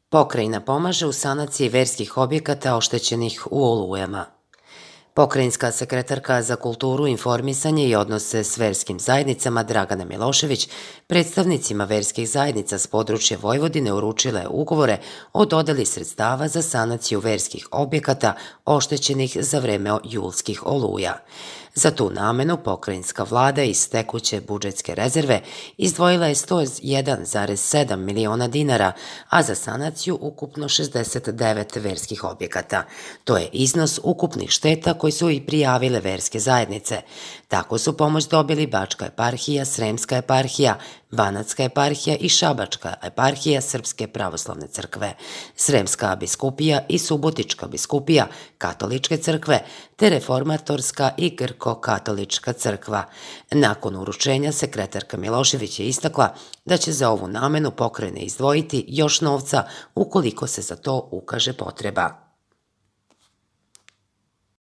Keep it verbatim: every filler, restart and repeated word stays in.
Pokrajina pomaže u sanaciji verskih objekata oštećenih u olujama. Pokrajinska sekretarka za kulturu, informisanje i odnose s verskim zajednicama Dragana Milošević predstavnicima verskih zajednica s područja Vojvodine uručila je ugovore o dodeli sredstava za sanaciju verskih objekata oštećenih za vreme julskih oluja. Za tu namenu pokrajinska vlada iz tekuće budžetske rezerve izdvojila je sto jedan zarez sedam miliona dinara, a za sanaciju ukupno šezdeset devet verskih objekata. To je iznos ukupnih šteta koji su i prijavile verske zajednice. Tako su pomoć dobili Bačka eparhija, Sremska eparhija, Banatska eparhija i Šabačka eparhija Srpske pravoslavne crkve, Sremska biskupija i Subotička biskupija Katoličke crkve, te Reformatorska i Grko-katolička crkva. Nakon uručenja sekretarka Milošević je istakla da će za ovu namenu pokrajine izdvojiti još novca ukoliko se za to ukaže potreba.